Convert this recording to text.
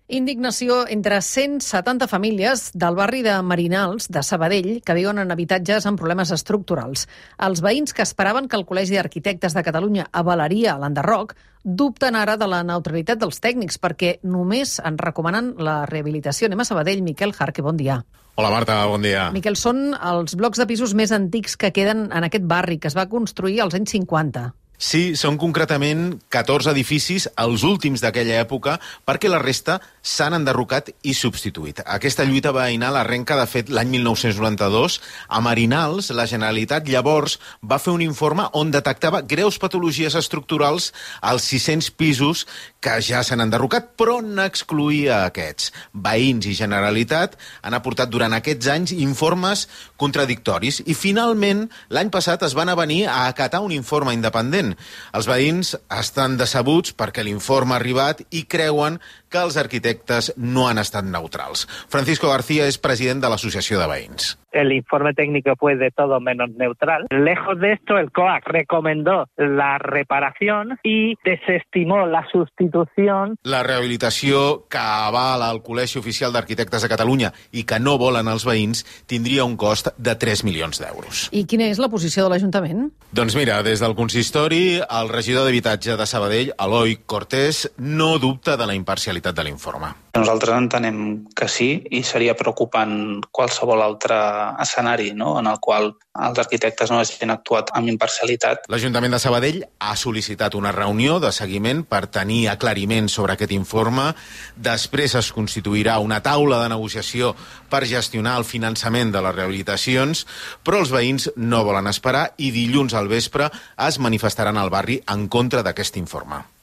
Indignació entre 170 famílies del barri de Marinals, de Sabadell, que viuen en habitatges amb problemes estructurals. Els veïns que esperaven que el Col·legi d'Arquitectes de Catalunya avalaria l'enderroc dubten ara de la neutralitat dels tècnics perquè només en recomanen la rehabilitació. Anem a Sabadell. Miquel Jarque, bon dia. Hola Marta, bon dia. Miquel, són els blocs de pisos més antics que queden en aquest barri, que es va construir als anys 50. Sí, són concretament 14 edificis, els últims d'aquella època, perquè la resta s'han enderrocat i substituït. Aquesta lluita veïnal arrenca, de fet, l'any 1992. A Marinals, la Generalitat llavors va fer un informe on detectava greus patologies estructurals als 600 pisos que ja s'han enderrocat, però n'excloïa aquests. Veïns i Generalitat han aportat durant aquests anys informes contradictoris i, finalment, l'any passat es van avenir a acatar un informe independent. Els veïns estan decebuts perquè l'informe ha arribat i creuen que els arquitectes no han estat neutrals. Francisco García és president de l'Associació de Veïns. El informe técnico fue de todo menos neutral. Lejos de esto, el COAC recomendó la reparación y desestimó la sustitución. La rehabilitació que avala el Col·legi Oficial d'Arquitectes de Catalunya i que no volen els veïns tindria un cost de 3 milions d'euros. I quina és la posició de l'Ajuntament? Doncs mira, des del consistori, el regidor d'Habitatge de Sabadell, Eloi Cortés, no dubta de la imparcialitat de l'informe. Nosaltres entenem que sí, i seria preocupant qualsevol altre escenari, no?, en el qual els arquitectes no hagin actuat amb imparcialitat. L'Ajuntament de Sabadell ha sol·licitat una reunió de seguiment per tenir aclariments sobre aquest informe. Després es constituirà una taula de negociació per gestionar el finançament de les rehabilitacions, però els veïns no volen esperar i dilluns al vespre es manifestaran al barri en contra d'aquest informe.